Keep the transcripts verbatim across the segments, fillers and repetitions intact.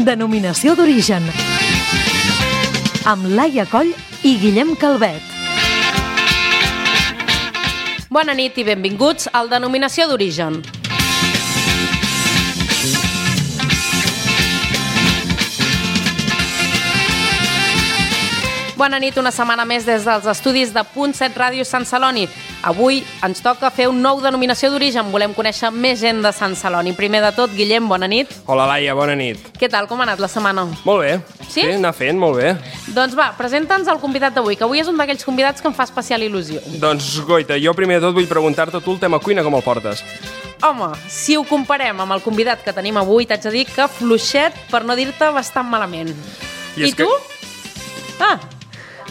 Denominació d'origen. Amb Laia Coll i Guillem Calvet. Bona nit i benvinguts al Denominació d'origen. Bona nit, una setmana més des dels estudis de Punt set Ràdio Sant Celoni. Avui ens toca fer un nou Denominació d'origen. Volem conèixer més gent de Sant Celoni. Primer de tot, Guillem, bona nit. Hola, Laia, bona nit. Què tal, com ha anat la setmana? Molt bé. Sí? Sí, anar fent, molt bé. Doncs va, presenta'ns el convidat d'avui, que avui és un d'aquells convidats que em fa especial il·lusió. Doncs, Goita, jo primer de tot vull preguntar-te tu el tema cuina, com el portes? Home, si ho comparem amb el convidat que tenim avui, t'haig de dir que fluixet, per no dir-te bastant malament. I, I tu? Que... Ah,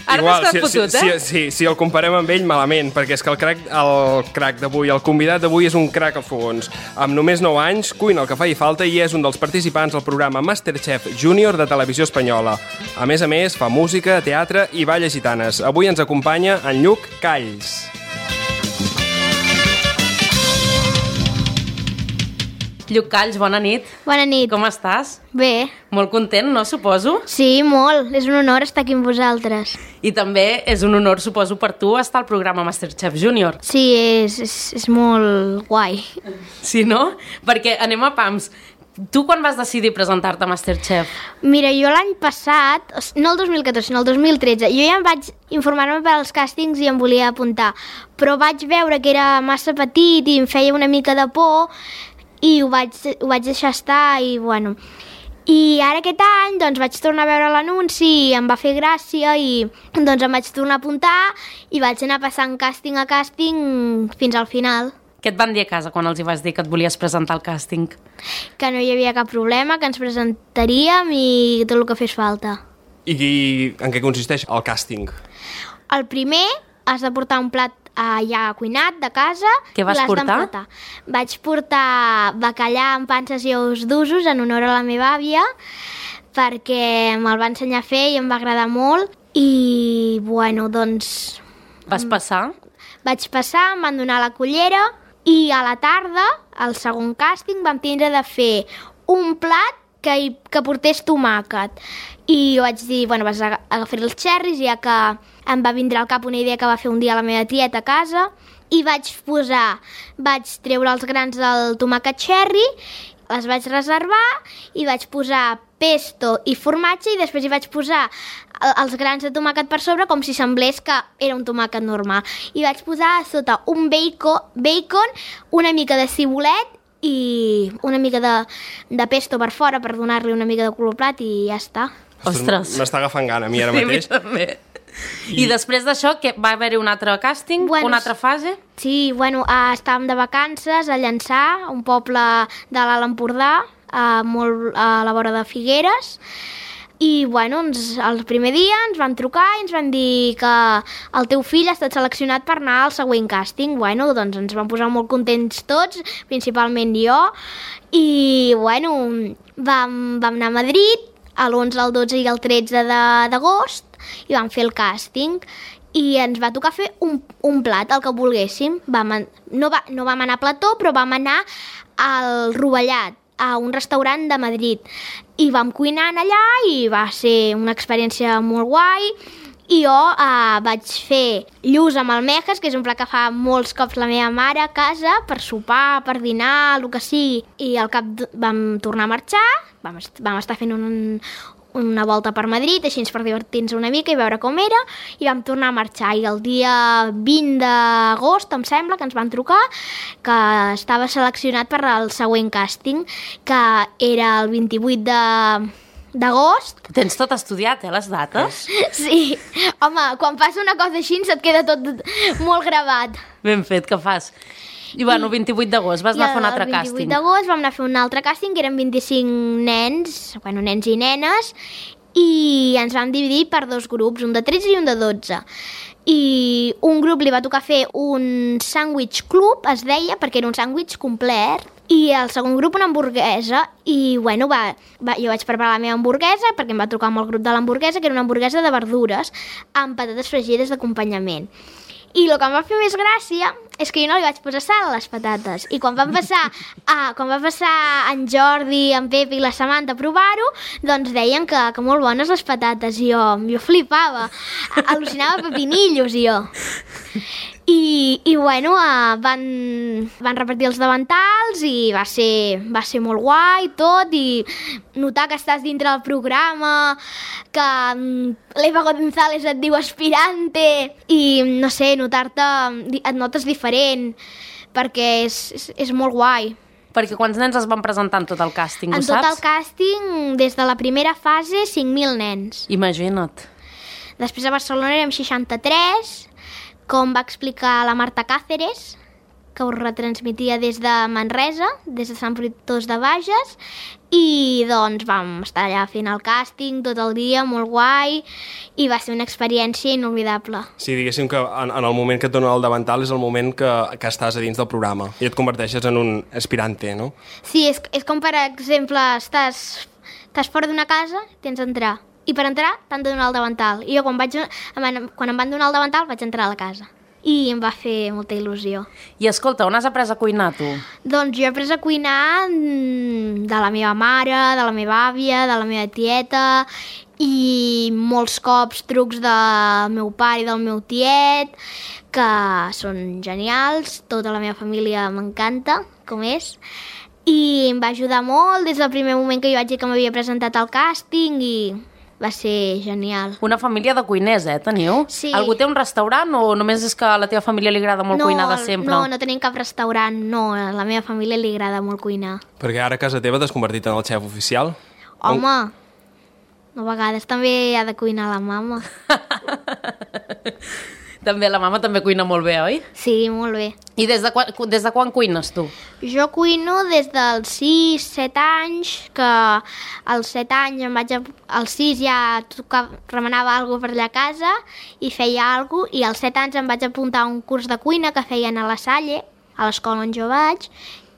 ara Igual, t'has si, fotut, si, eh? Si, si, si el comparem amb ell, malament, perquè és que el crac, el crac d'avui, el convidat d'avui és un crac a fogons. Amb només nou anys, cuina el que faci falta i és un dels participants al programa Masterchef Junior de Televisió Espanyola. A més a més, fa música, teatre i balles gitanes. Avui ens acompanya en Lluc Calls. Lluc Calls, bona nit. Bona nit. Com estàs? Bé. Molt content, no, suposo? Sí, molt. És un honor estar aquí amb vosaltres. I també és un honor, suposo, per tu estar al programa Masterchef Junior. Sí, és, és, és molt guai. Sí, no? Perquè anem a pams. Tu quan vas decidir presentar-te a Masterchef? Mira, jo l'any passat, no el dos mil catorze, sinó el dos mil tretze, jo ja em vaig informar-me per als càstings i em volia apuntar, però vaig veure que era massa petit i em feia una mica de por i ho vaig, ho vaig deixar estar i, bueno... I ara aquest any doncs, vaig tornar a veure l'anunci i em va fer gràcia i doncs, em vaig tornar a apuntar i vaig anar passant càsting a càsting fins al final. Què et van dir a casa quan els hi vas dir que et volies presentar al càsting? Que no hi havia cap problema, que ens presentaríem i tot el que fes falta. I, i en què consisteix el càsting? El primer, has de portar un plat uh, ja cuinat de casa. Què vas portar? Vaig portar bacallà amb panses i ous d'usos en honor a la meva àvia, perquè me'l va ensenyar a fer i em va agradar molt. I, bueno, doncs... Vas passar? Vaig passar, em van donar la cullera i a la tarda, al segon càsting, vam tindre de fer un plat que, hi, que portés tomàquet. I jo vaig dir, bueno, vas agafar els xerris, ja que em va vindre al cap una idea que va fer un dia la meva tieta a casa, i vaig posar, vaig treure els grans del tomàquet xerri, les vaig reservar i vaig posar pesto i formatge i després hi vaig posar els grans de tomàquet per sobre com si semblés que era un tomàquet normal. I vaig posar a sota un bacon, bacon una mica de cibulet i una mica de, de pesto per fora per donar-li una mica de color plat i ja està. Ostres! M'està agafant gana a mi ara mateix. Sí, a mi també. I, I després d'això, que va haver-hi un altre càsting, bueno, una altra fase? Sí, bueno, uh, estàvem de vacances a Llançà, un poble de l'Alt Empordà, uh, molt a la vora de Figueres, i bueno, ens, el primer dia ens van trucar i ens van dir que el teu fill ha estat seleccionat per anar al següent càsting. Bueno, doncs ens vam posar molt contents tots, principalment jo, i bueno, vam, vam anar a Madrid a l'onze, el dotze i el tretze d'agost i vam fer el càsting i ens va tocar fer un, un plat, el que volguéssim. Vam, no, va, no vam anar a plató, però vam anar al Rovellat, a un restaurant de Madrid. I vam cuinar allà i va ser una experiència molt guai. I jo eh, vaig fer lluç amb almejes, que és un plat que fa molts cops la meva mare a casa, per sopar, per dinar, el que sigui. I al cap vam tornar a marxar, vam, est vam estar fent un, una volta per Madrid, així per divertir-nos una mica i veure com era, i vam tornar a marxar. I el dia vint d'agost, em sembla, que ens van trucar, que estava seleccionat per al següent càsting, que era el vint-i-vuit d'agost. Tens tot estudiat, eh, les dates? Sí. Home, quan passa una cosa així se't queda tot molt gravat. Ben fet, que fas. I bueno, el vint-i-vuit d'agost vas anar a fer un altre càsting. El vint-i-vuit d'agost vam anar a fer un altre càsting, que eren vint-i-cinc nens, bueno, nens i nenes, i ens vam dividir per dos grups, un de tretze i un de dotze. I un grup li va tocar fer un sàndwich club, es deia, perquè era un sàndwich complet, i el segon grup una hamburguesa, i bueno, va, va, jo vaig preparar la meva hamburguesa, perquè em va trucar amb el grup de l'hamburguesa, que era una hamburguesa de verdures, amb patates fregides d'acompanyament. I el que em va fer més gràcia és que jo no li vaig posar sal a les patates. I quan van passar, ah, quan va passar en Jordi, en Pep i la Samantha a provar-ho, doncs deien que, que molt bones les patates. I jo, jo flipava. Al·lucinava pepinillos, i jo. I, i bueno, uh, van, van repartir els davantals i va ser, va ser molt guai tot, i notar que estàs dintre del programa, que um, l'Eva González et diu aspirante, i no sé, notar-te, et notes diferent, perquè és, és, és molt guai. Perquè quants nens es van presentar en tot el càsting, ho saps? saps? En tot el càsting, des de la primera fase, cinc mil nens. Imagina't. Després a Barcelona érem seixanta-tres, com va explicar la Marta Cáceres, que ho retransmitia des de Manresa, des de Sant Fruitós de Bages, i doncs vam estar allà fent el càsting tot el dia, molt guai, i va ser una experiència inolvidable. Sí, diguéssim que en, en el moment que et donen el davantal és el moment que, que estàs a dins del programa i et converteixes en un aspirante, no? Sí, és, és com, per exemple, estàs, estàs fora d'una casa, tens d'entrar. I per entrar t'han de donar el davantal. I jo quan, vaig, quan em van donar el davantal vaig entrar a la casa. I em va fer molta il·lusió. I escolta, on has après a cuinar, tu? Doncs jo he après a cuinar de la meva mare, de la meva àvia, de la meva tieta, i molts cops trucs del meu pare i del meu tiet, que són genials, tota la meva família m'encanta, com és. I em va ajudar molt des del primer moment que jo vaig dir que m'havia presentat al càsting, i va ser genial. Una família de cuiners, eh, teniu? Sí. Algú té un restaurant o només és que a la teva família li agrada molt no, cuinar de sempre? No, no tenim cap restaurant, no. A la meva família li agrada molt cuinar. Perquè ara a casa teva t'has convertit en el xef oficial? Home, a vegades també ha de cuinar la mama. També, la mama també cuina molt bé, oi? Sí, molt bé. I des de quan, des de quan cuines, tu? Jo cuino des dels sis set anys, que als set anys em vaig a, als sis ja tocava, remenava alguna cosa per allà a casa i feia alguna cosa, i als set anys em vaig apuntar a un curs de cuina que feien a la Salle, a l'escola on jo vaig,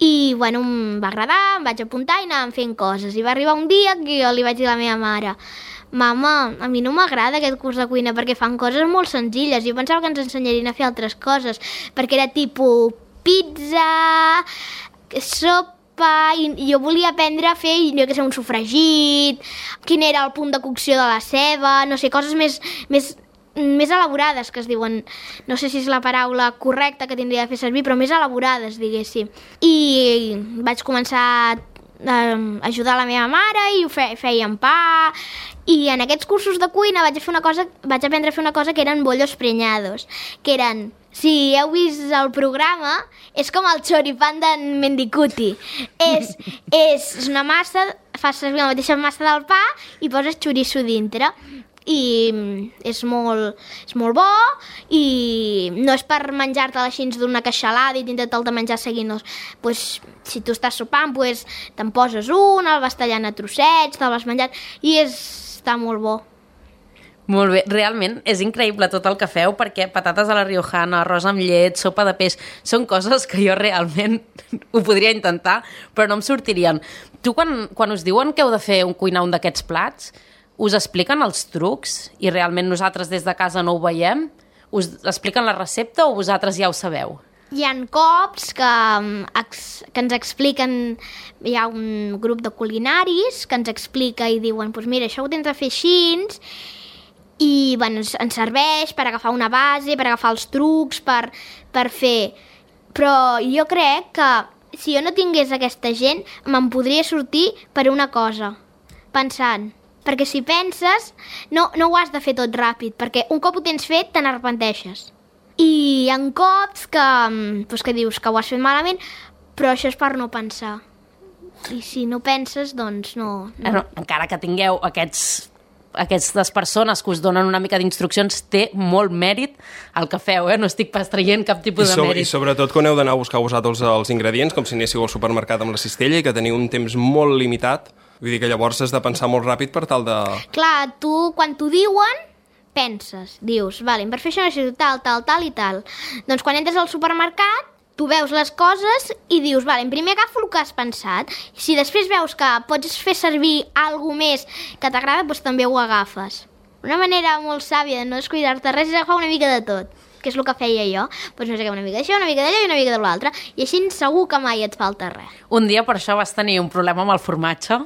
i bueno, em va agradar, em vaig apuntar i anàvem fent coses. I va arribar un dia que jo li vaig dir a la meva mare: mama, a mi no m'agrada aquest curs de cuina perquè fan coses molt senzilles. Jo pensava que ens ensenyarien a fer altres coses, perquè era tipus pizza, sopa, i jo volia aprendre a fer, jo que sé, un sofregit, quin era el punt de cocció de la ceba, no sé, coses més, més, més elaborades, que es diuen, no sé si és la paraula correcta que tindria de fer servir, però més elaborades, diguéssim. I vaig començar a ajudar la meva mare i ho fe, fèiem pa, i en aquests cursos de cuina vaig, fer una cosa, vaig aprendre a fer una cosa que eren bollos preñados, que eren, si heu vist el programa, és com el choripán d'en Mendicuti. És, és una massa, fas servir la mateixa massa del pa i poses xoriço dintre. I és molt, és molt bo, i no és per menjar-te així d'una queixalada i tindre-te'l de menjar seguint. No. Pues, si tu estàs sopant, pues, te'n poses un, el vas tallant a trossets, te'l vas menjant, i és, està molt bo. Molt bé, realment és increïble tot el que feu, perquè patates a la riojana, arròs amb llet, sopa de peix, són coses que jo realment ho podria intentar, però no em sortirien. Tu, quan, quan us diuen que heu de fer un cuinar un d'aquests plats, us expliquen els trucs i realment nosaltres des de casa no ho veiem? Us expliquen la recepta o vosaltres ja ho sabeu? Hi ha cops que, que ens expliquen, hi ha un grup de culinaris que ens explica i diuen, pues mira, això ho tens de fer així, i bueno, ens serveix per agafar una base, per agafar els trucs, per, per fer. Però jo crec que si jo no tingués aquesta gent, me'n podria sortir per una cosa, pensant. Perquè si penses, no, no ho has de fer tot ràpid, perquè un cop ho tens fet, te n'arrepenteixes. I hi ha cops que, doncs que dius que ho has fet malament, però això és per no pensar. I si no penses, doncs no... no. no encara que tingueu aquests, aquestes persones que us donen una mica d'instruccions, té molt mèrit el que feu, eh? No estic pas traient cap tipus I so, de mèrit. I sobretot quan heu d'anar a buscar vosaltres els ingredients, com si anéssiu al supermercat amb la cistella i que teniu un temps molt limitat. Vull dir que llavors has de pensar molt ràpid per tal de... Clar, tu, quan t'ho diuen, penses, dius, vale, per fer això necessito tal, tal, tal i tal. Doncs quan entres al supermercat, tu veus les coses i dius, vale, primer agafo el que has pensat. Si després veus que pots fer servir alguna més que t'agrada, doncs també ho agafes. Una manera molt sàvia de no descuidar-te res és agafar una mica de tot. que és el que feia jo. Doncs no sé què, una mica d'això, una mica d'allò i una mica de l'altre. I així segur que mai et falta res. Un dia per això vas tenir un problema amb el formatge,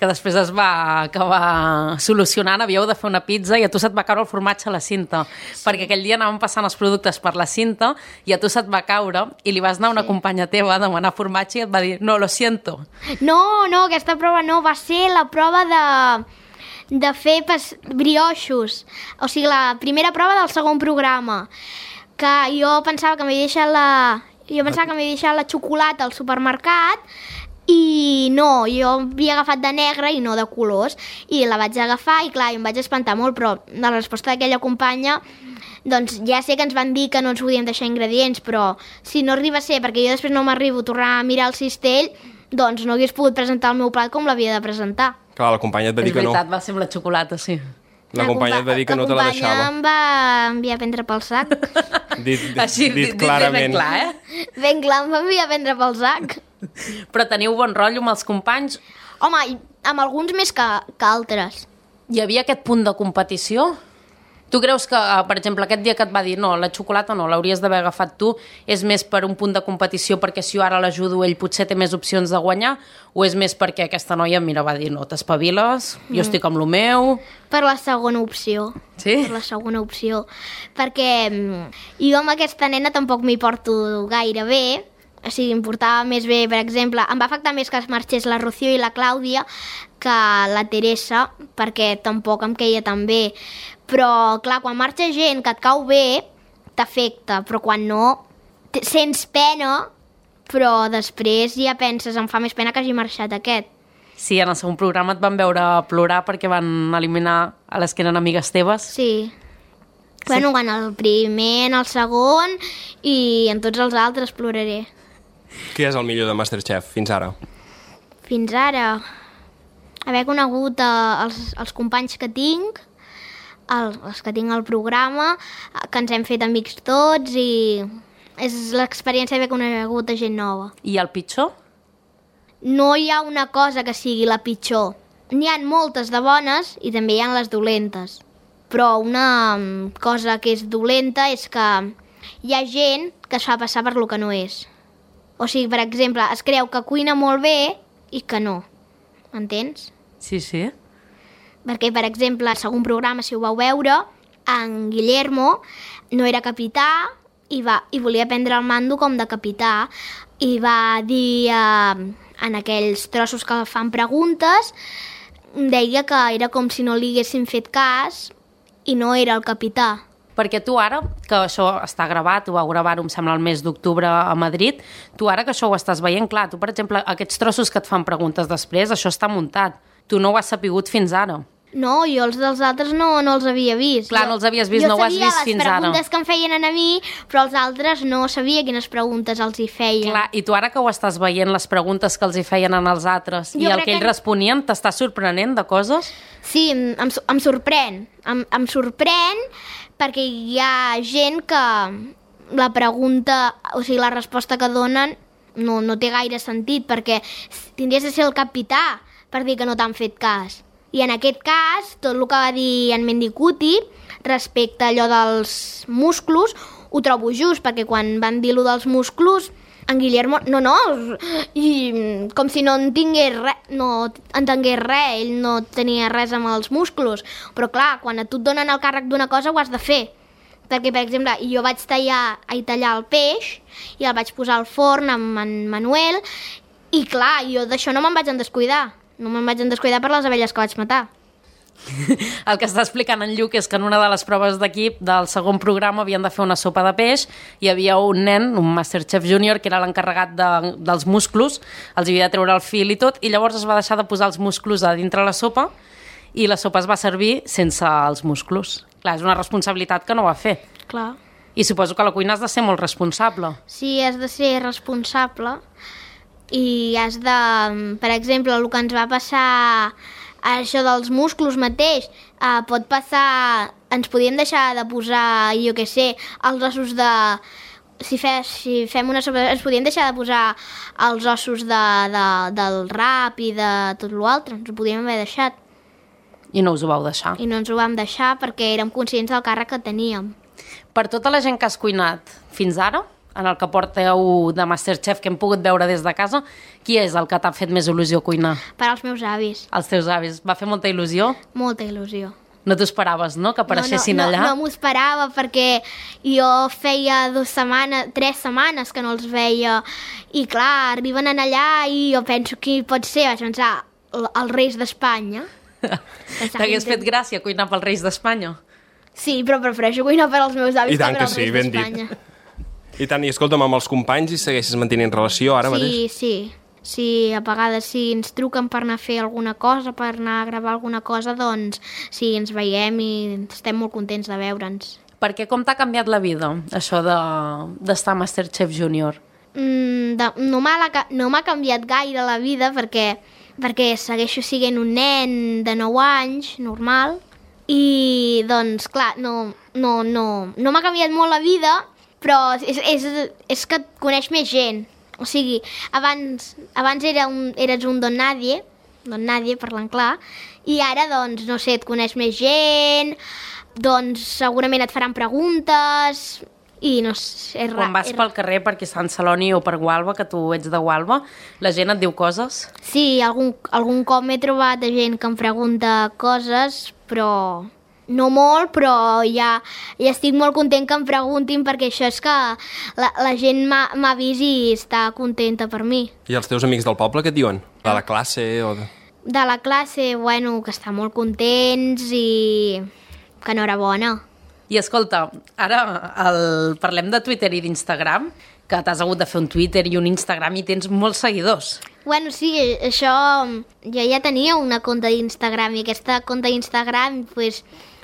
que després es va acabar solucionant, havíeu de fer una pizza i a tu se't va caure el formatge a la cinta, sí. perquè aquell dia anàvem passant els productes per la cinta i a tu se't va caure i li vas anar a una sí. companya teva a demanar formatge i et va dir, no, lo siento. No, no, aquesta prova no, va ser la prova de, de fer pas, brioixos, o sigui, la primera prova del segon programa, que jo pensava que m'havia deixat la... Jo pensava que m'havia deixat la xocolata al supermercat i no, jo havia agafat de negre i no de colors i la vaig agafar i clar, jo em vaig espantar molt, però la resposta d'aquella companya, doncs ja sé que ens van dir que no ens podíem deixar ingredients, però si no arriba a ser, perquè jo després no m'arribo a tornar a mirar el cistell, doncs no hagués pogut presentar el meu plat com l'havia de presentar. Clar, la companya et va dir que no. És veritat, va ser amb la xocolata, sí. La, la companya et va dir que no te la deixava. La companya em va enviar a prendre pel sac. dit, dit, Així, dit, dit clarament. Ben clar, eh? Ben clar, em va enviar a prendre pel sac. Però teniu bon rotllo amb els companys? Home, amb alguns més que, que altres. Hi havia aquest punt de competició? Tu creus que, per exemple, aquest dia que et va dir no, la xocolata no, l'hauries d'haver agafat tu, és més per un punt de competició perquè si jo ara l'ajudo ell potser té més opcions de guanyar, o és més perquè aquesta noia, mira, va dir no, t'espaviles, jo mm. estic amb lo meu... Per la segona opció. Sí? Per la segona opció. Perquè jo amb aquesta nena tampoc m'hi porto gaire bé, o sigui, em portava més bé, per exemple, em va afectar més que es marxés la Rocío i la Clàudia que la Teresa, perquè tampoc em queia tan bé. Però, clar, quan marxa gent que et cau bé, t'afecta, però quan no, sents pena, però després ja penses, em fa més pena que hagi marxat aquest. Sí, en el segon programa et van veure plorar perquè van eliminar a les que eren amigues teves. Sí. sí. Bueno, en el primer, en el segon i en tots els altres ploraré. Qui és el millor de MasterChef fins ara? Fins ara? Haver conegut eh, els, els companys que tinc, el, els que tinc al programa, que ens hem fet amics tots i és l'experiència d'haver conegut a gent nova. I el pitjor? No hi ha una cosa que sigui la pitjor. N'hi ha moltes de bones i també hi ha les dolentes. Però una cosa que és dolenta és que hi ha gent que es fa passar per lo que no és. O sigui, per exemple, es creu que cuina molt bé i que no. M'entens? Sí, sí. Perquè, per exemple, al segon programa, si ho vau veure, en Guillermo no era capità i, va, i volia prendre el mando com de capità i va dir eh, en aquells trossos que fan preguntes, deia que era com si no li haguessin fet cas i no era el capità. Perquè tu ara, que això està gravat, ho vau gravar-ho, em sembla, el mes d'octubre a Madrid, tu ara que això ho estàs veient, clar, tu, per exemple, aquests trossos que et fan preguntes després, això està muntat. Tu no ho has sapigut fins ara. No, jo els dels altres no, no els havia vist. Clar, no els havies vist, no ho has vist fins ara. Jo sabia les preguntes que em feien a mi, però els altres no sabia quines preguntes els hi feien. Clar, i tu ara que ho estàs veient, les preguntes que els hi feien als altres, jo i el que ells que... responien, t'està sorprenent de coses? Sí, em, em sorprèn. Em, em sorprèn perquè hi ha gent que la pregunta, o sigui, la resposta que donen no, no té gaire sentit, perquè tindries de ser el capità per dir que no t'han fet cas. I en aquest cas, tot el que va dir en Mendicuti respecte a allò dels musclos, ho trobo just, perquè quan van dir allò dels musclos, en Guillermo, no, no, i com si no entengués res, no entengués res, ell no tenia res amb els musclos. Però clar, quan a tu et donen el càrrec d'una cosa ho has de fer. Perquè, per exemple, jo vaig tallar, a tallar el peix i el vaig posar al forn amb en Manuel i clar, jo d'això no me'n vaig en descuidar. No me'n vaig en descuidar per les abelles que vaig matar. El que està explicant en Lluc és que en una de les proves d'equip del segon programa havien de fer una sopa de peix, hi havia un nen, un Masterchef Júnior, que era l'encarregat de, dels musclos, els havia de treure el fil i tot, i llavors es va deixar de posar els musclos a dintre la sopa i la sopa es va servir sense els musclos. Clar, és una responsabilitat que no va fer. Clar. I suposo que a la cuina has de ser molt responsable. Sí, has de ser responsable i has de, per exemple, el que ens va passar això dels musclos mateix, eh, pot passar, ens podíem deixar de posar, jo què sé, els ossos de... Si, fe, si fem una sopa, ens podíem deixar de posar els ossos de, de, del rap i de tot l'altre, ens ho podíem haver deixat. I no us ho vau deixar. I no ens ho vam deixar perquè érem conscients del càrrec que teníem. Per tota la gent que has cuinat fins ara, en el que porteu de Masterchef que hem pogut veure des de casa, qui és el que t'ha fet més il·lusió cuinar? Per als meus avis. Els teus avis. Va fer molta il·lusió? Molta il·lusió. No t'ho esperaves, no?, que apareixessin no, no, allà? No, no m'ho esperava perquè jo feia dues setmanes, tres setmanes que no els veia i clar, arriben en allà i jo penso qui pot ser, vaig pensar, el- els reis d'Espanya. T'hagués fet gràcia cuinar pels Reis d'Espanya? Sí, però prefereixo cuinar per als meus avis I tant per que als sí, reis ben dit. d'Espanya. I tant, i escolta'm, amb els companys i segueixes mantenint relació ara mateix? Sí, sí. Sí, a vegades si ens truquen per anar a fer alguna cosa, per anar a gravar alguna cosa, doncs sí, ens veiem i estem molt contents de veure'ns. Perquè com t'ha canviat la vida, això de d'estar a Masterchef Junior? Mm, de, no m'ha la ca- no m'ha canviat gaire la vida perquè, perquè segueixo sent un nen de nou anys, normal, i doncs clar, no, no, no, no m'ha canviat molt la vida, però és, és, és que et coneix més gent. O sigui, abans, abans era un, eres un don nadie, don nadie parlant clar, i ara, doncs, no sé, et coneix més gent, doncs segurament et faran preguntes, i no sé, és ra- Quan vas és- pel carrer per aquí Sant Celoni o per Gualba, que tu ets de Gualba, la gent et diu coses? Sí, algun, algun cop m'he trobat de gent que em pregunta coses, però no molt, però ja, ja estic molt content que em preguntin perquè això és que la, la gent m'ha m'ha vist i està contenta per mi. I els teus amics del poble què et diuen? De la classe o de... De la classe, bueno, que estan molt contents i que enhorabona. I escolta, ara el... parlem de Twitter i d'Instagram, que t'has hagut de fer un Twitter i un Instagram i tens molts seguidors. Bueno, sí, això... Jo ja tenia una compte d'Instagram i aquesta compte d'Instagram, pues,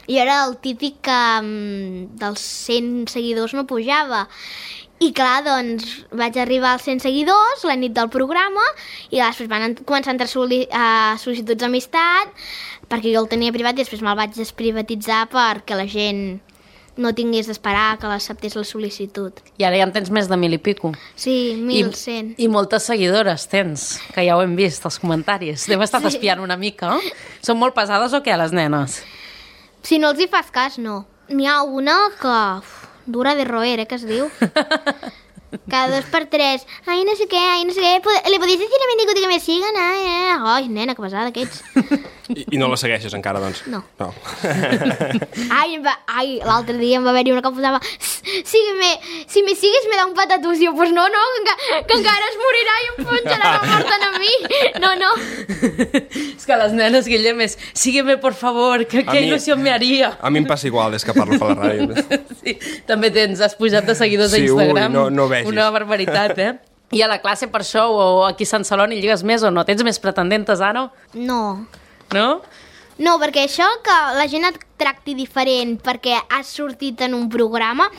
jo era el típic que um, dels cent seguidors no pujava. I clar, doncs, vaig arribar als cent seguidors la nit del programa i després van ent- començar a entrar soli uh, sol·licituds d'amistat perquè jo el tenia privat i després me'l vaig desprivatitzar perquè la gent no tingués d'esperar que l'acceptés la sol·licitud. I ara ja en tens més de mil i pico. Sí, mil I, cent. I moltes seguidores tens, que ja ho hem vist, als comentaris. Hem estat Sí. espiant una mica. Són molt pesades o què, les nenes? Si no els hi fas cas, no. N'hi ha una que... Uf, dura de roer, eh, que es diu. Cada dos per tres. Ai, no sé què, ai, no sé què. Pod- ¿Le podéis decir a Mendicuti que me sigan? Ai, eh. ai, nena, que pesada que ets. I, I no la segueixes encara, doncs? No. No. Ai, em va- ai l'altre dia em va haver-hi una que em posava sígueme, si me sigues me da un patatús. I jo, pues no, no, que, enca que encara es morirà i em punxarà la mort a mi. No, no. És que les nenes, Guillem, és sígueme, por favor, que A qué mi- il·lusió me haría. A mi em passa igual des que parlo per la ràdio. Sí, també tens, has pujat de seguidors Sí, a Instagram. ui, no- no vegis. Una barbaritat, eh? I a la classe per això, o aquí a Sant Celoni, lligues més o no? Tens més pretendentes ara? No. No? No, perquè això que la gent et tracti diferent perquè has sortit en un programa,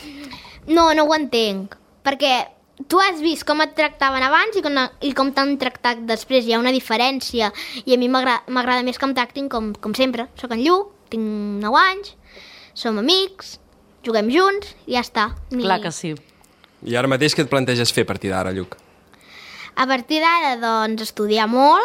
no, no ho entenc. Perquè tu has vist com et tractaven abans i com, i com t'han tractat després. Hi ha una diferència i a mi m'agra- m'agrada més que em tractin com, com sempre. Soc en Lluc, tinc nou anys, som amics, juguem junts i ja està. Ni... Clar que sí. I ara mateix què et planteges fer a partir d'ara, Lluc? A partir d'ara, doncs, estudiar molt,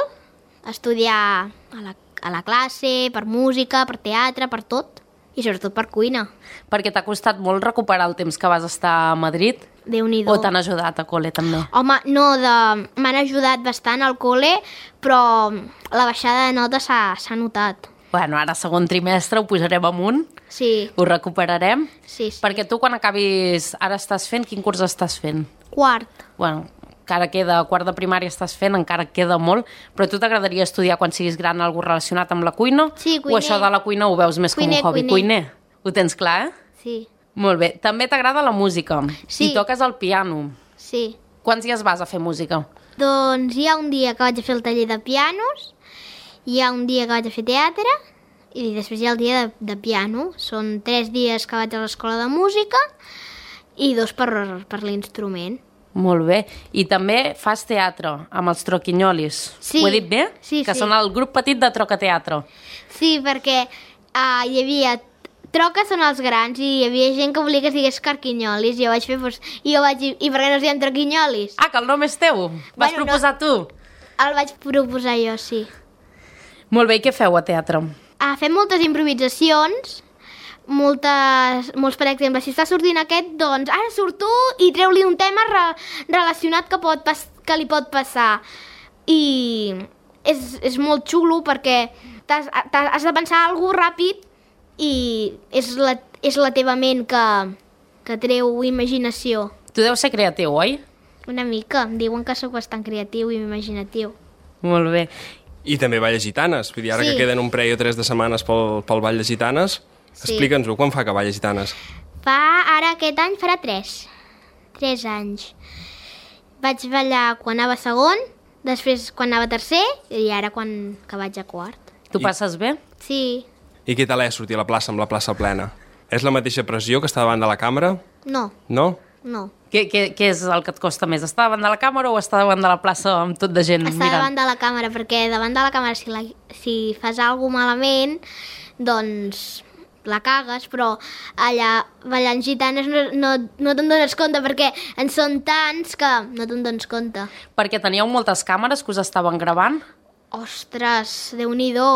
estudiar a la, a la classe, per música, per teatre, per tot, i sobretot per cuina. Perquè t'ha costat molt recuperar el temps que vas estar a Madrid? Déu-n'hi-do. O t'han ajudat a col·le, també? Home, no, de... m'han ajudat bastant al col·le, però la baixada de notes s'ha s'ha notat. Bueno, ara segon trimestre ho pujarem amunt, Sí, ho recuperarem. sí, sí. Perquè tu quan acabis... Ara estàs fent... Quin curs estàs fent? Quart. Bueno, encara queda... Quart de primària estàs fent, encara queda molt, però a tu t'agradaria estudiar quan siguis gran alguna relacionat amb la cuina? Sí, O cuiner. això de la cuina ho veus més Cuiner, com un hobby? cuiner. Ho tens clar, eh? Sí, Molt bé. També t'agrada la música. Sí. I toques el piano. sí. Quants dies vas a fer música? Doncs hi ha un dia que vaig a fer el taller de pianos, hi ha un dia que vaig a fer teatre, i després hi ha el dia de, de piano. Són tres dies que vaig a l'escola de música i dos per, per l'instrument. Molt bé. I també fas teatre amb els Troquinyolis. Sí. Ho he dit bé? Sí, que sí. són el grup petit de Trocateatre. Sí, perquè uh, hi havia... Troca són els grans i hi havia gent que volia que es digués Carquinyolis i jo vaig fer... Doncs, i jo vaig dir, i per què no es diem Troquinyolis? Ah, que el nom és teu? Vas Bueno, no. proposar tu? El vaig proposar jo, sí. Molt bé, i què feu a teatre? Uh, fem moltes improvisacions, moltes, molts, per exemple, si està sortint aquest, doncs ara surt tu i treu-li un tema re, relacionat que, pot pas, que li pot passar. I és, és molt xulo perquè t'has, t'has, has de pensar alguna cosa ràpid i és la, és la teva ment que, que treu imaginació. Tu deus ser creatiu, oi? Una mica. Diuen que sóc bastant creatiu i imaginatiu. Molt bé. I també ball de gitanes. Vull dir, ara sí. que queden un parell o tres de setmanes pel, pel ball de gitanes, sí. explica'ns-ho, quan fa que ball de gitanes? Fa, ara aquest any farà tres. Tres anys. Vaig ballar quan anava a segon, després quan anava a tercer i ara quan que vaig a quart. Tu I... passes bé? Sí. I què tal és sortir a la plaça amb la plaça plena? És la mateixa pressió que està davant de la càmera? No. No? No. Què, què, què és el que et costa més? Estar davant de la càmera o estar davant de la plaça amb tot de gent Estar mirant? davant de la càmera, perquè davant de la càmera si, la, si fas alguna malament, doncs la cagues, però allà ballant gitanes no, no, no te'n dones compte, perquè en són tants que no te'n dones compte. Perquè teníeu moltes càmeres que us estaven gravant? Ostres, Déu-n'hi-do,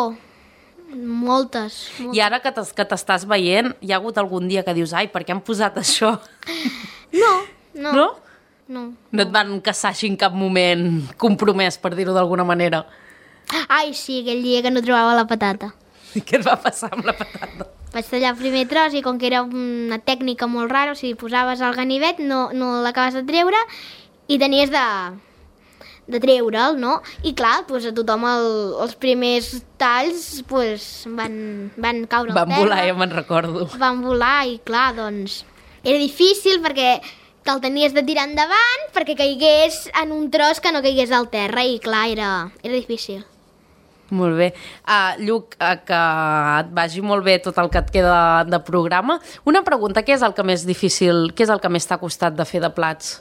moltes, moltes. I ara que t'estàs veient, hi ha hagut algun dia que dius, ai, per què han posat això? No, no. No? No. No et van caçar així en cap moment compromès, per dir-ho d'alguna manera? Ai, sí, aquell dia que no trobava la patata. I què et va passar amb la patata? Vaig tallar el primer tros i com que era una tècnica molt rara, o sigui, posaves el ganivet, no, no l'acabes de treure i tenies de, de treure'l, no? I clar, doncs a tothom el, els primers talls doncs, van, van caure al Van terra. volar, ja me'n recordo. Van volar i clar, doncs era difícil perquè te'l tenies de tirar endavant perquè caigués en un tros que no caigués al terra i clar, era, era difícil. Molt bé. Uh, Lluc, uh, que et vagi molt bé tot el que et queda de programa. Una pregunta, què és el que més difícil, què és el que més t'ha costat de fer de plats?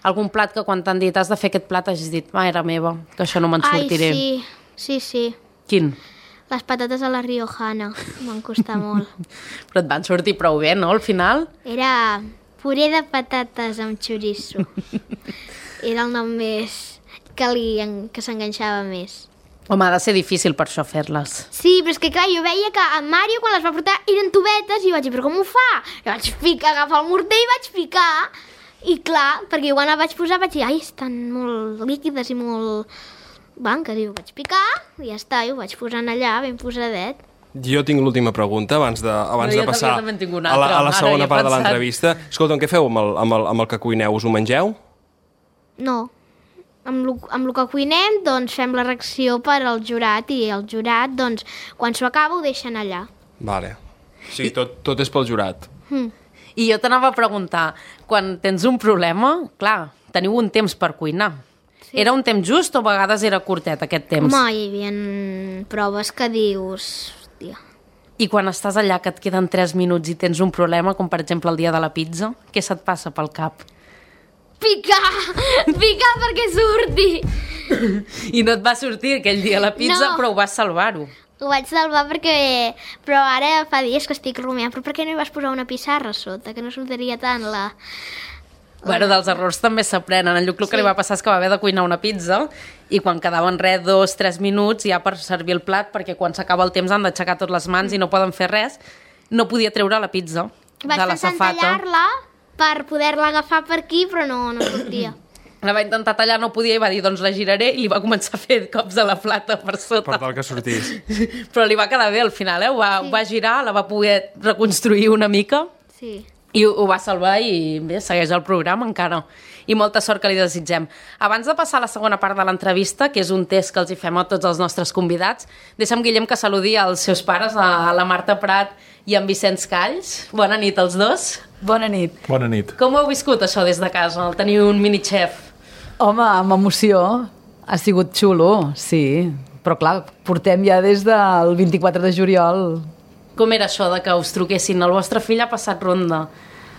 Algun plat que quan t'han dit has de fer aquest plat has dit, mare meva, que això no me'n sortiré. Ai, sí, sí, sí. Quin? Les patates a la riojana, m'han costat molt. Però et van sortir prou bé, no, al final? Era puré de patates amb xoriço. Era el nom més que, li, que s'enganxava més. Home, ha de ser difícil per això fer-les. Sí, però és que clar, jo veia que en Mario quan les va portar eren tubetes i vaig dir, però com ho fa? I vaig picar, agafar el morter i vaig picar. I clar, perquè quan la vaig posar vaig dir, ai, estan molt líquides i molt blanques. I ho vaig picar i ja està, i ho vaig posant allà ben posadet. Jo tinc l'última pregunta abans de, abans no, de passar també en tinc una a la, altra. a la segona Ara, part de pensat. l'entrevista. Escolta, què feu amb el, amb, el, amb el que cuineu? Us ho mengeu? No. Amb el, amb el que cuinem, doncs fem la reacció per al jurat i el jurat, doncs, quan s'ho acaba ho deixen allà. Vale. O sigui, tot, tot és pel jurat. Mm. I jo t'anava a preguntar, quan tens un problema, clar, teniu un temps per cuinar. Sí. Era un temps just o a vegades era curtet aquest temps? Home, hi havia proves que dius... Hòstia. I quan estàs allà que et queden tres minuts i tens un problema, com per exemple el dia de la pizza, què se't passa pel cap? Picar! Picar perquè surti! I no et va sortir aquell dia la pizza, No. però ho vas salvar-ho. Ho vaig salvar perquè... Però ara fa dies que estic rumiant. Però per què no hi vas posar una pissarra a sota? Que no sortiria tant la... Bueno, dels errors també s'aprenen. En Lluc el que Sí. li va passar és que va haver de cuinar una pizza i quan quedaven res, dos, tres minuts ja per servir el plat, perquè quan s'acaba el temps han d'aixecar totes les mans i no poden fer res, no podia treure la pizza Vaig de la pensar en safata. tallar-la per poder-la agafar per aquí, però no, no sortia. La va intentar tallar, no podia i va dir, doncs la giraré, i li va començar a fer cops a la plata per sota. Per tal que sortís. Però li va quedar bé al final, eh? Ho va, Sí. ho va girar, la va poder reconstruir una mica Sí. i ho, ho va salvar i bé, segueix el programa encara. I molta sort que li desitgem. Abans de passar a la segona part de l'entrevista, que és un test que els hi fem a tots els nostres convidats, deixa'm, Guillem, que saludi als seus pares, a la Marta Prat i en Vicenç Calls. Bona nit als dos. Bona nit. Bona nit. Com ho heu viscut, això, des de casa, el tenir un mini-xef? Home, amb emoció. Ha sigut xulo, sí. Però clar, portem ja des del vint-i-quatre de juliol. Com era això de que us truquessin? El vostre fill ha passat ronda.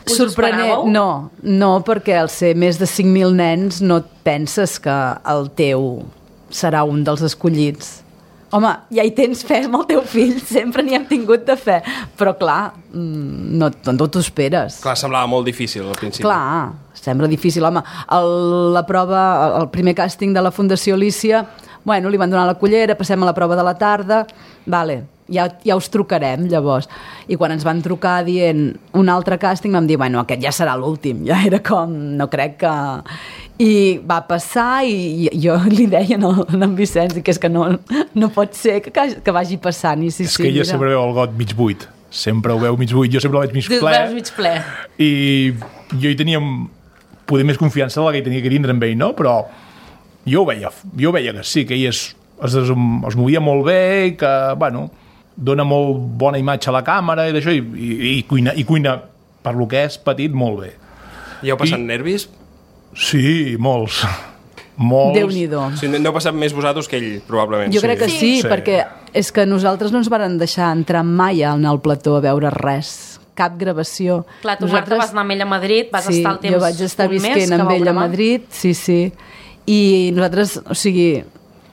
Us ho Sorprenent. esperàveu? No, no, perquè al ser més de cinc mil nens no et penses que el teu serà un dels escollits. Home, ja hi tens fe amb el teu fill, sempre n'hi hem tingut de fe. Però clar, mm, no, no t'ho esperes. Clar, semblava molt difícil al principi. Clar, sembla difícil, home. El, la prova, el primer càsting de la Fundació Lícia, bueno, li van donar la cullera, passem a la prova de la tarda, vale, ja, ja us trucarem llavors. I quan ens van trucar dient un altre càsting vam dir, bueno, aquest ja serà l'últim, ja era com, no crec que... I va passar i jo li deia a en Vicenç que és que no, no pot ser que, que vagi passant. I sí, és sí, que ella mira. sempre veu el got mig buit, sempre ho veu mig buit, jo sempre el veig mig ple. Veus mig ple. I jo hi tenia poder més confiança de la que hi tenia que tindre amb ell, no? Però jo ho veia, jo veia que sí, que ell es, es, es movia molt bé i que, bueno, dona molt bona imatge a la càmera i d'això, i, i, i, cuina, i cuina per lo que és petit molt bé. I heu passat I... nervis? Sí, molts. molts. Déu-n'hi-do. O sigui, n'heu passat més vosaltres que ell, probablement. Jo crec que sí, Sí. perquè és que nosaltres no ens varen deixar entrar mai en el plató a veure res, cap gravació. Clar, tu, Marta, vas anar amb ell a Madrid, vas sí, estar el temps jo vaig estar un mes visquent que amb vau ell a gravar. Madrid, sí, sí. I nosaltres, o sigui,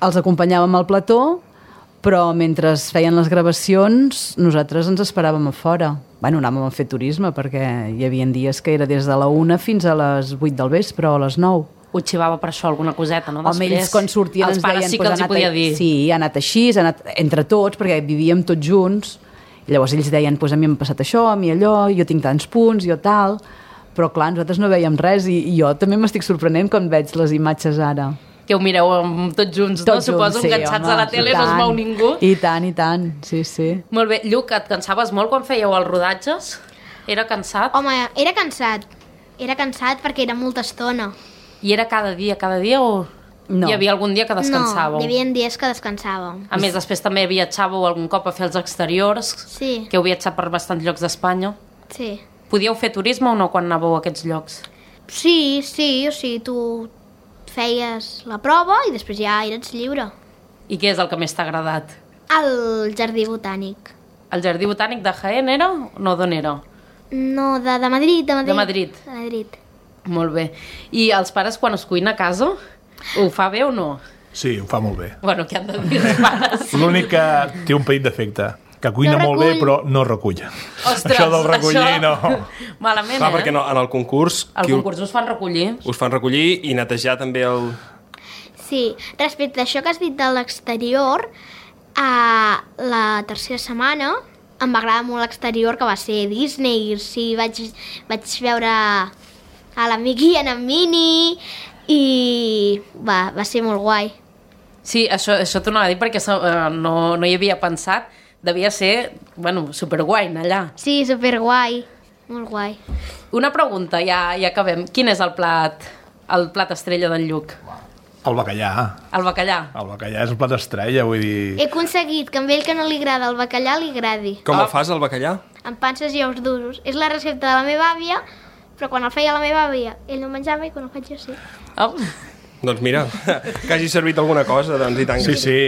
els acompanyàvem al plató, però mentre feien les gravacions nosaltres ens esperàvem a fora. Bueno, anàvem a fer turisme perquè hi havia dies que era des de la una fins a les vuit del vespre o a les nou. Ho xivava per això alguna coseta, no? Home, ells quan sortien els ens pares deien... sí que "Pues els ha hi anat podia a- dir. Sí, ha anat així, ha anat entre tots, perquè vivíem tots junts. I llavors ells deien, pues a mi m'ha passat això, a mi allò, jo tinc tants punts, jo tal... Però clar, nosaltres no veiem res i, i jo també m'estic sorprenent quan veig les imatges ara. Que ho mireu amb, tots junts, Tots no? Suposo, junts, sí, enganxats home, a la tele, i no es tant. mou ningú. I tant, i tant, sí, sí. Molt bé. Lluc, et cansaves molt quan fèieu els rodatges? Era cansat? Home, era cansat. Era cansat perquè era molta estona. I era cada dia, cada dia o No. hi havia algun dia que descansàveu? No, hi havia dies que descansàvem. A més, després també viatjàveu algun cop a fer els exteriors, Sí, que heu viatjat per bastants llocs d'Espanya. sí. Podíeu fer turisme o no quan anàveu a aquests llocs? Sí, sí, o sigui, tu feies la prova i després ja eres lliure. I què és el que més t'ha agradat? Al jardí botànic. El Jardí Botànic de Jaén era? No, d'on era? No, de, de Madrid, de Madrid. De Madrid. De Madrid. Molt bé. I els pares, quan es cuina a casa, ho fa bé o no? Sí, ho fa molt bé. Bueno, què han de dir els pares? L'únic que té un petit defecte, que cuina No molt bé recull. però no recull. Ostres, això del recollir això- no. Malament, Clar, eh? perquè no, en el concurs... Al qui u- concurs us fan recollir. Us fan recollir i netejar també el... Sí, respecte a això que has dit de l'exterior, a la tercera setmana em va agradar molt l'exterior, que va ser Disney. Sí, vaig, vaig veure a l'amic Ian en Mini i va, va ser molt guai. Sí, això, això t'ho anava a dir perquè eh, no, no hi havia pensat. Devia ser, bueno, superguai anar allà. Sí, superguai, molt guai. Una pregunta, ja, ja acabem. Quin és el plat, el plat estrella d'en Lluc? El bacallà. El bacallà. El bacallà és un plat estrella, vull dir... He aconseguit que amb ell que no li agrada el bacallà li agradi. Com Ah. el fas, el bacallà? Amb panses i ous durs. És la recepta de la meva àvia, però quan el feia la meva àvia ell no menjava i quan el faig jo sí. Oh. Doncs mira, que hagi servit alguna cosa, doncs i tant. Sí, sí,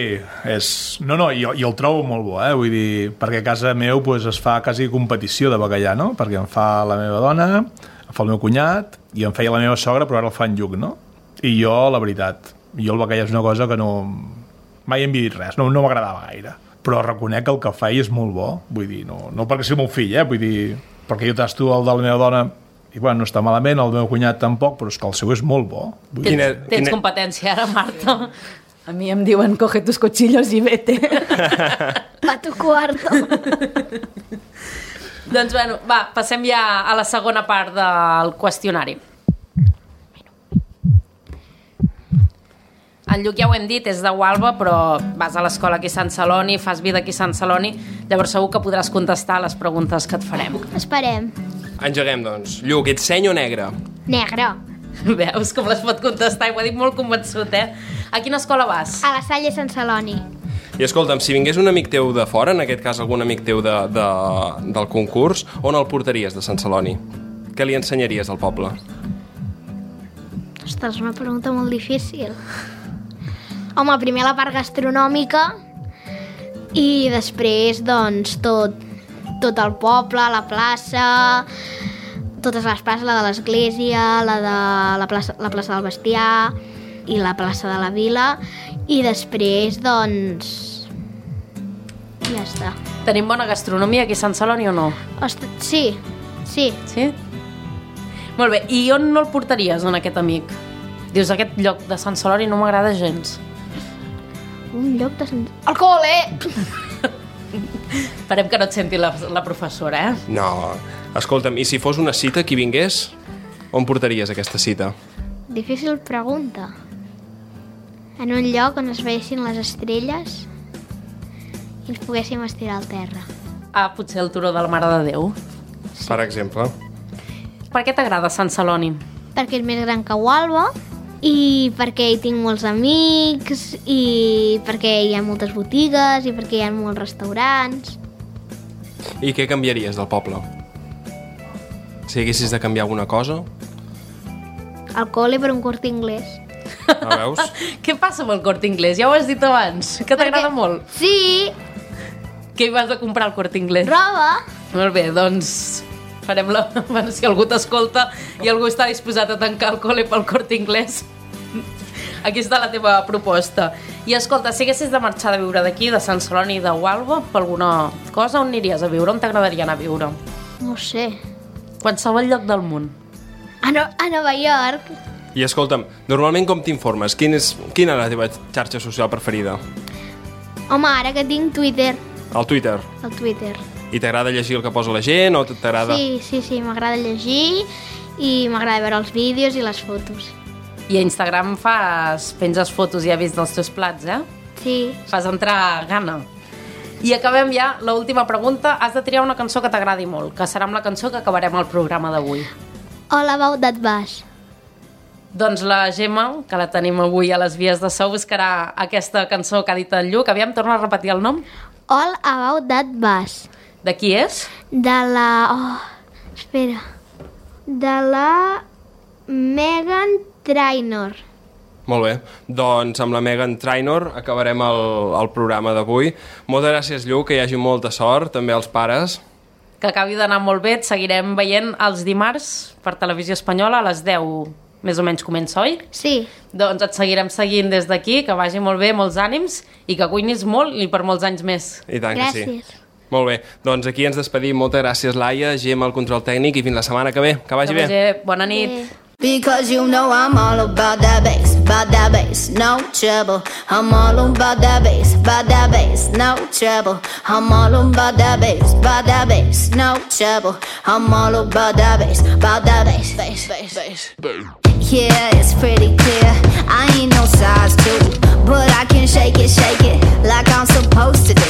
és... No, no, jo, jo el trobo molt bo, eh? Vull dir, perquè a casa meu pues, es fa quasi competició de bacallà, no? Perquè em fa la meva dona, em fa el meu cunyat, i em feia la meva sogra, però ara el fa en Lluc, no? I jo, la veritat, jo el bacallà és una cosa que no... Mai hem dit res, no, no m'agradava gaire. Però reconec que el que feia és molt bo, vull dir, no, no perquè sigui el meu fill, eh? Vull dir, perquè jo tasto el de la meva dona i bueno, no està malament, el meu cunyat tampoc, però és que el seu és molt bo. Vull dir, Tens, Quina- tens quina- competència ara, Marta. A mi em diuen, coge tus cuchillos i vete. Pa tu cuarto. Doncs bueno, va, passem ja a la segona part del qüestionari. En Lluc ja ho hem dit, és de Gualba, però vas a l'escola aquí a Sant Celoni, fas vida aquí a Sant Celoni, llavors segur que podràs contestar les preguntes que et farem. Esperem. Engeguem, doncs. Lluc, ets seny o negre? Negre. Veus com les pot contestar? I ho ha dit molt convençut, eh? A quina escola vas? A la Salle Sant Celoni. I escolta'm, si vingués un amic teu de fora, en aquest cas algun amic teu de, de, del concurs, on el portaries de Sant Celoni? Què li ensenyaries al poble? Ostres, una pregunta molt difícil. Home, primer la part gastronòmica i després, doncs, tot, tot el poble, la plaça, totes les places, la de l'església, la de la plaça, la plaça del Bestiar i la plaça de la Vila. I després, doncs, ja està. Tenim bona gastronomia aquí a Sant Celoni o no? Ostres, sí, sí. Sí? Molt bé, i on no el portaries, en aquest amic? Dius, aquest lloc de Sant Celoni no m'agrada gens. Un lloc de... Sant- Al col·le! Esperem que no et senti la, la professora, eh? No, escolta'm, i si fos una cita, qui vingués, on portaries aquesta cita? Difícil pregunta. En un lloc on es veiessin les estrelles i ens poguéssim estirar al terra. Ah, potser el turó de la Mare de Déu. Sí. Per exemple. Per què t'agrada Sant Celoni? Perquè és més gran que Gualba i perquè hi tinc molts amics i perquè hi ha moltes botigues i perquè hi ha molts restaurants. I què canviaries del poble? Si haguessis de canviar alguna cosa? El col·le per un Corte Inglés. Ah, veus? Què passa amb el Corte Inglés? Ja ho has dit abans, que t'agrada molt. Sí. Què hi vas a comprar al Corte Inglés? Roba. Molt bé, doncs farem la... Bueno, si algú t'escolta i algú està disposat a tancar el col·le pel Corte Inglés, aquí està la teva proposta. I escolta, si haguessis de marxar de viure d'aquí, de Sant Celoni i de Gualba, per alguna cosa, on aniries a viure? On t'agradaria anar a viure? No ho sé. Qualsevol lloc del món. A, no, a Nova York. I escolta'm, normalment com t'informes? Quin és, quina és la teva xarxa social preferida? Home, ara que tinc Twitter. El Twitter? El Twitter. I t'agrada llegir el que posa la gent o t'agrada... Sí, sí, sí, m'agrada llegir i m'agrada veure els vídeos i les fotos. I a Instagram fas... penges fotos i ja vist dels teus plats, eh? Sí. Fas entrar gana. I acabem ja l'última pregunta. Has de triar una cançó que t'agradi molt, que serà amb la cançó que acabarem el programa d'avui. All About That Bass. Doncs la Gemma, que la tenim avui a les vies de so, buscarà aquesta cançó que ha dit el Lluc. Aviam, torna a repetir el nom. All About That Bass. De qui és? De la... Oh, espera. De la Meghan Trainor. Molt bé, doncs amb la Meghan Trainor acabarem el, el programa d'avui. Moltes gràcies, Lluc, que hi hagi molta sort, també als pares. Que acabi d'anar molt bé, et seguirem veient els dimarts per Televisió Espanyola a les deu, més o menys comença, oi? Sí. Doncs et seguirem seguint des d'aquí, que vagi molt bé, molts ànims, i que cuinis molt i per molts anys més. I tant Gràcies. que sí. Molt bé, doncs aquí ens despedim. Moltes gràcies, Laia, Gemma, el control tècnic, i fins la setmana que ve. Que vagi que bé. bé. Bona nit. Bé. Because you know I'm all about that bass, about that bass, no trouble. I'm all about that bass, about that bass, no trouble. I'm all about that bass, about that bass, no trouble. I'm all about that bass, about that bass, bass, bass, bass. Yeah, it's pretty clear, I ain't no size two, but I can shake it, shake it, like I'm supposed to do.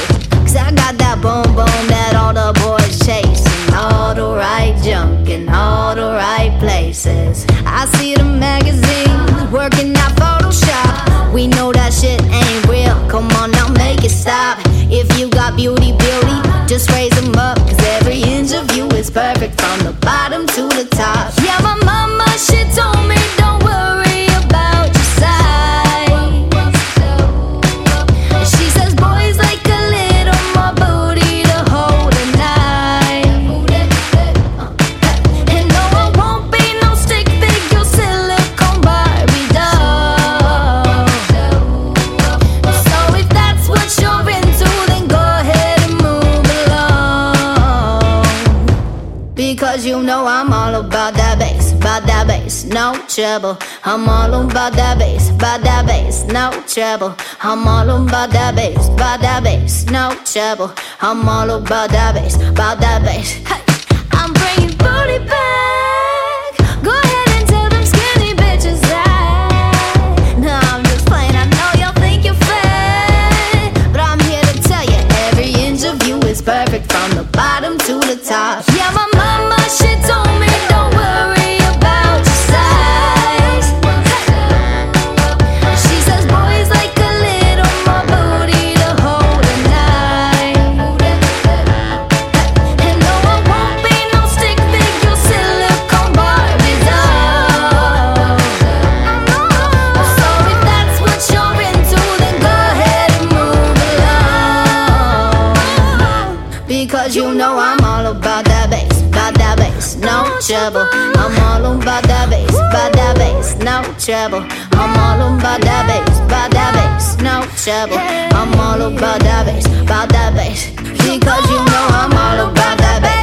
Cause I got that boom boom that all the boys chase, and all the right junk in all the right places. I see the magazines working out Photoshop. We know that shit ain't real, come on now make it stop. If you got beauty, beauty, just raise them up. Cause every inch of you is perfect from the bottom to the top. Yeah, my mama, she told me don't worry about your size. She says boys like a little more booty to hold a knife. And no, I won't be no stick figure silicone Barbie doll. So if that's what you're into, then go ahead and move along. Because you know I'm all about that bass, about that bass, no trouble. I'm all about that bass, about that bass, no trouble. I'm all about that bass, about that bass, no trouble. I'm all about that bass, about that bass. Hey, I'm bringing booty back. Go ahead and tell them skinny bitches that. No, I'm just playing, I know y'all think you're fat, but I'm here to tell you every inch of you is perfect from the bottom to the top. Yeah, my mama, she told me don't worry about your size. She says boys like a little more booty to hold a knife. And no, I won't be no stick figure silicone Barbie doll. So if that's what you're into, then go ahead and move along. Because you know I'm all about that bass, about that bass, no trouble. I'm all about that bass, about that bass, no trouble. I'm all about that bass, about that bass, no trouble. I'm all about that bass, about that bass. Because you know I'm all about that bass.